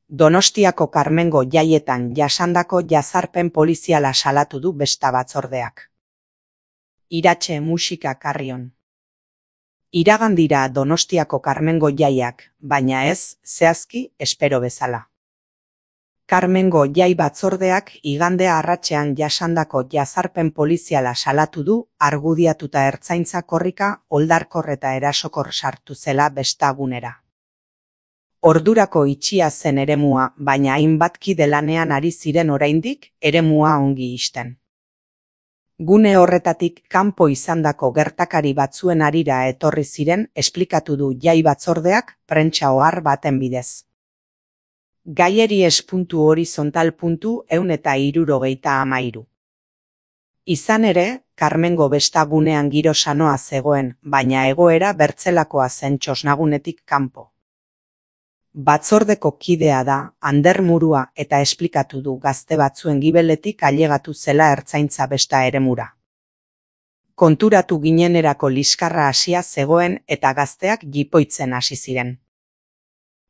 Donostiako Karmengo jaietan jasandako jazarpen poliziala salatu du besta batzordeak. Iratxe musika Carrion. Iragan dira Donostiako Karmengo jaiak, baina ez, zehazki, espero bezala. Karmengo jai batzordeak igandea arratsean jasandako jazarpen poliziala salatu du, argudiatuta ertzaintza korrika oldarkor eta erasokor sartu zela bestagunera. Ordurako itxia zen eremua, baina hainbat kide lanean ari ziren oraindik eremua ongi ixten. Gune horretatik kanpo izandako gertakari batzuen harira etorri ziren esplikatu du jai batzordeak prentsa ohar baten bidez. Gaieri es.horizontal.163. Izan ere, Karmengo bestagunean giro sanoa zegoen, baina egoera bertzelakoa zen txosnagunetik kanpo. Batzordeko kidea da, Ander Murua, eta esplikatu du gazte batzuen gibeletik ailegatu zela ertzaintza besta eremura. Konturatu ginenerako liskarra hasia zegoen eta gazteak jipoitzen hasi ziren.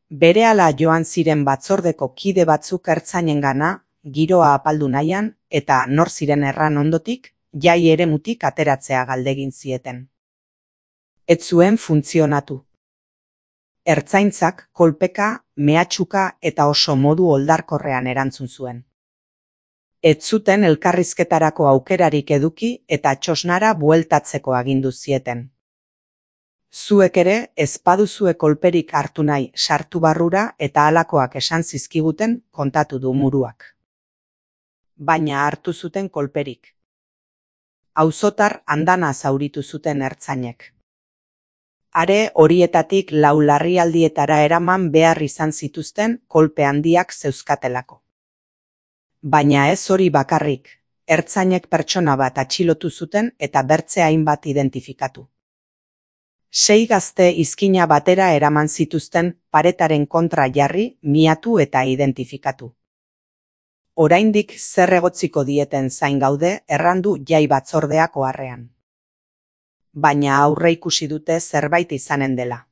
Berehala joan ziren batzordeko kide batzuk ertzainengana, giroa apaldu nahian, eta nor ziren erran ondotik, jai eremutik ateratzea galdegin zieten. Ez zuen funtzionatu. Ertzaintzak kolpeka, mehatxuka eta oso modu oldarkorrean erantzun zuen. Ez zuten elkarrizketarako aukerarik eduki eta txosnara bueltatzeko agindu zieten. Zuek ere ez baduzue kolperik hartu nahi sartu barrura eta halakoak esan zizkiguten kontatu du Muruak. Baina hartu zuten kolperik. Auzotar andana zauritu zuten ertzainek. Are horietatik 4 larrialdietara eraman behar izan zituzten kolpe handiak zeuzkatelako. Baina ez hori bakarrik, ertzainek pertsona bat atxilotu zuten eta bertze hainbat identifikatu. 6 gazte izkina batera eraman zituzten paretaren kontra jarri, miatu eta identifikatu. Oraindik zer egotziko dieten zain gaude errandu jai batzordeak oharrean. Baina aurreikusi dute zerbait izanen dela.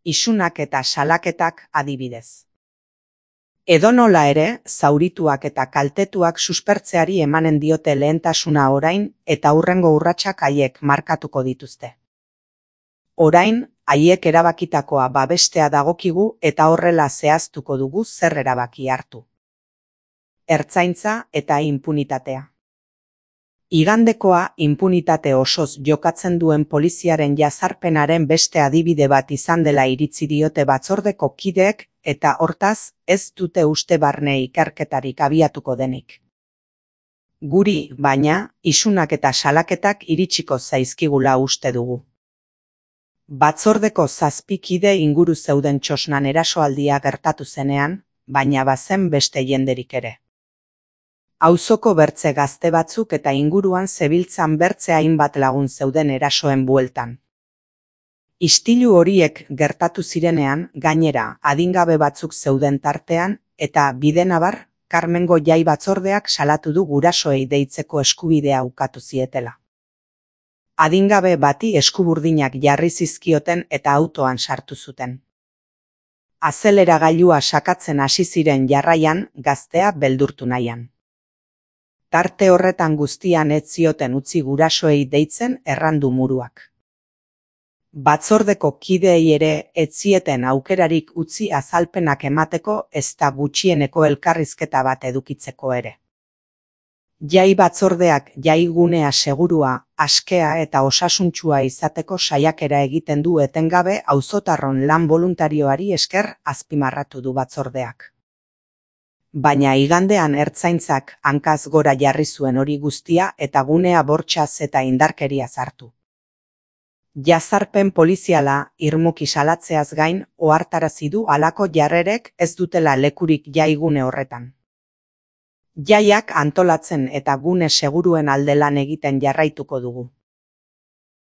Isunak eta salaketak adibidez. Edonola ere, zaurituak eta kaltetuak suspertzeari emanen diote lehentasuna orain eta hurrengo urratsak haiek markatuko dituzte. Orain, haiek erabakitakoa babestea dagokigu eta horrela zehaztuko dugu zer erabaki hartu. Ertzaintza eta inpunitatea. Igandekoa inpunitate osoz jokatzen duen poliziaren jazarpenaren beste adibide bat izan dela iritzi diote batzordeko kideek eta hortaz ez dute uste barne ikerketarik abiatuko denik. Guri, baina, isunak eta salaketak iritsiko zaizkigula uste dugu. Batzordeko 7 kide inguru zeuden txosnan erasoaldia gertatu zenean, baina bazen beste jenderik ere. Auzoko bertze gazte batzuk eta inguruan zebiltzan bertze hainbat lagun zeuden erasoen bueltan. Istilu horiek gertatu zirenean, gainera, adingabe batzuk zeuden tartean, eta bidenabar, Karmengo jai batzordeak salatu du gurasoei deitzeko eskubidea ukatu zietela. Adingabe bati eskuburdinak jarri zizkioten eta autoan sartu zuten. Azeleragailua sakatzen hasi ziren jarraian, gaztea beldurtu nahian. Tarte horretan guztian ez zioten utzi gurasoei deitzen errandu Muruak. Batzordeko kideei ere ez zieten aukerarik utzi azalpenak emateko ezta gutxieneko elkarrizketa bat edukitzeko ere. Jai batzordeak jaigunea segurua, askea eta osasuntsua izateko saiakera egiten du etengabe auzotarron lan boluntarioari esker azpimarratu du batzordeak. Baina igandean ertzaintzak hankaz gora jarri zuen hori guztia eta gunea bortxaz eta indarkeria hartu. Jazarpen poliziala irmuki salatzeaz gain ohartarazi du halako jarrerek ez dutela lekurik jaigune horretan. Jaiak antolatzen eta gune seguruen alde lan egiten jarraituko dugu.